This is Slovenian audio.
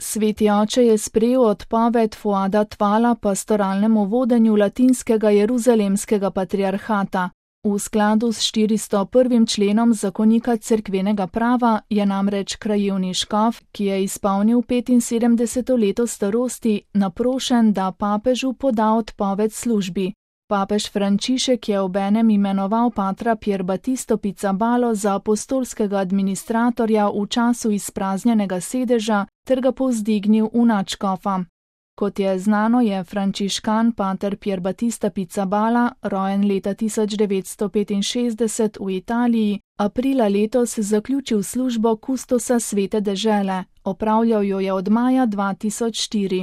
Sveti oče je sprejel odpoved Fuada Tvala pastoralnemu vodenju latinskega jeruzalemskega patriarhata. V skladu s 401. členom zakonika cerkvenega prava je namreč krajevni škof, ki je izpolnil 75. leto starosti, naprošen, da papežu poda odpoved službi. Papež Frančišek je obenem imenoval patra Pierbattisto Pizzabalo za apostolskega administratorja v času izpraznjenega sedeža ter ga povzdignil v nadškofa. Kot je znano, je frančiškan pater Pierbattista Pizzabala, rojen leta 1965 v Italiji, aprila letos zaključil službo kustosa Svete dežele, opravljal jo je od maja 2004.